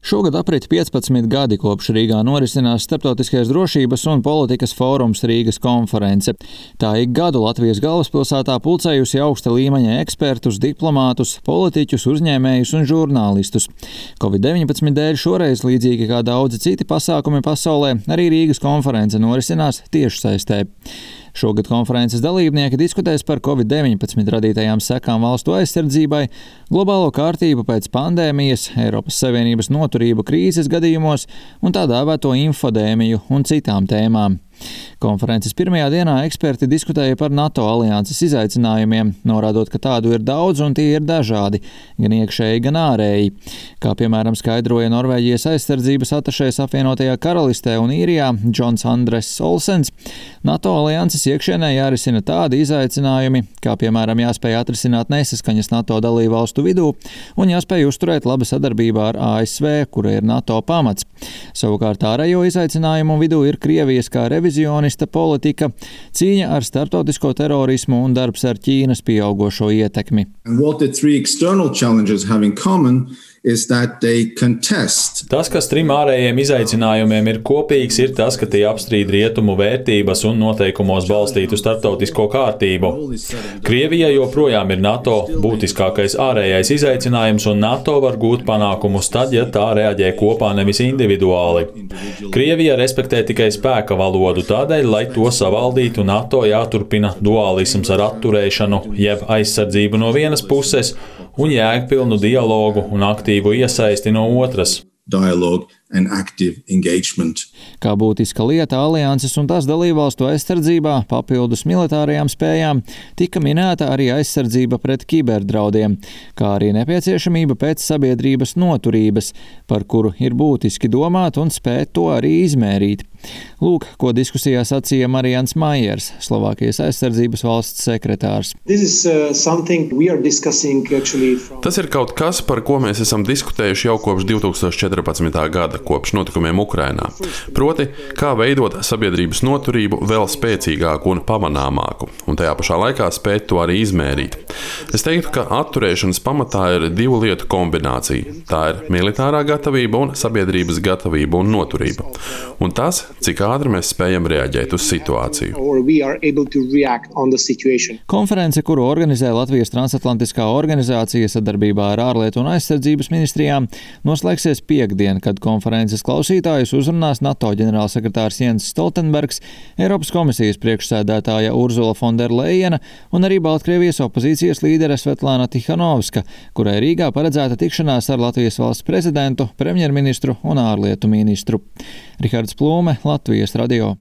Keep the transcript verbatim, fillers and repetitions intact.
Šogad aprit piecpadsmit gadi, kopš Rīgā norisinās Starptautiskais drošības un politikas fórums Rīgas konference. Tā ik gadu Latvijas galvaspilsētā pulcējusi augsta līmeņa ekspertus, diplomātus, politiķus, uzņēmējus un žurnālistus. covid deviņpadsmit dēļ šoreiz, līdzīgi kā daudzi citi pasākumi pasaulē, arī Rīgas konference norisinās tiešsaistē. Šogad konferences dalībnieki diskutēs par covid deviņpadsmit radītajām sekām valstu aizsardzībai, globālo kārtību pēc pandēmijas, Eiropas Savienības noturību krīzes gadījumos un tā dēvēto infodēmiju un citām tēmām. Konferences pirmajā dienā eksperti diskutēja par NATO alianses izaicinājumiem, norādot, ka tādu ir daudz un tie ir dažādi, gan iekšēji, gan ārēji. Kā piemēram skaidroja Norvēģijas aizsardzības atašējs apvienotajā Karalistē un Īrijā Džons Andres Olsens, NATO alianses iekšienē jārisina tādi izaicinājumi, kā piemēram jāspēj atrisināt nesaskaņas NATO dalībvalstu vidū un jāspēj uzturēt labu sadarbību ar A S V, kura ir NATO pamats. Savukārt ārējo izaicinājumu vidū ir Krievijas kā revizionista politika, cīņa ar starptautisko terorismu un darbs ar Ķīnas pieaugošo ietekmi. Tas, kas trim ārējiem izaicinājumiem ir kopīgs, ir tas, ka tie apstrīd rietumu vērtības un noteikumos balstītu starptautisko kārtību. Krievija joprojām ir NATO būtiskākais ārējais izaicinājums, un NATO var gūt panākumus tad, ja tā reaģē kopā, nevis individuāli. Krievija respektē tikai spēka valodu, tādēļ, lai to savaldītu, NATO jāturpina dualisms ar atturēšanu, jeb aizsardzību no vienas puses un jēgpilnu dialogu un aktīvu iesaisti no otras. Kā būtiska lieta alianses un tās dalībvalstu aizsardzībā, papildus militārajām spējām, tika minēta arī aizsardzība pret kiberdraudiem, kā arī nepieciešamība pēc sabiedrības noturības, par kuru ir būtiski domāt un spēt to arī izmērīt. Lūk, ko diskusijā sacīja Marijans Maiers, Slovākijas aizsardzības valsts sekretārs. Tas ir kaut kas, par ko mēs esam diskutējuši jau kopš divtūkstoš četrpadsmitā gada, kopš notikumiem Ukrainā. Proti, kā veidot sabiedrības noturību vēl spēcīgāku un pamanāmāku, un tajā pašā laikā spēt to arī izmērīt. Es teiktu, ka atturēšanas pamatā ir divu lietu kombinācija. Tā ir militārā gatavība un sabiedrības gatavība un noturība. Un tas, cik ātri mēs spējam reaģēt uz situāciju. Konference, kuru organizē Latvijas transatlantiskā organizācija sadarbībā ar ārlietu un aizsardzības ministrijām, noslēgsies piektdien, kad konferences klausītājus uzrunās NATO ģenerālsekretārs Jens Stoltenbergs, Eiropas komisijas priekšsēdētāja Urzula von der Leyena un arī Baltkrievijas opozīcijas līdere Svetlana Tihanovska, kurai Rīgā paredzēta tikšanās ar Latvijas valsts prezidentu, premjerministru un ārlietu ministru. Rihards Plūme, Latvijas radio.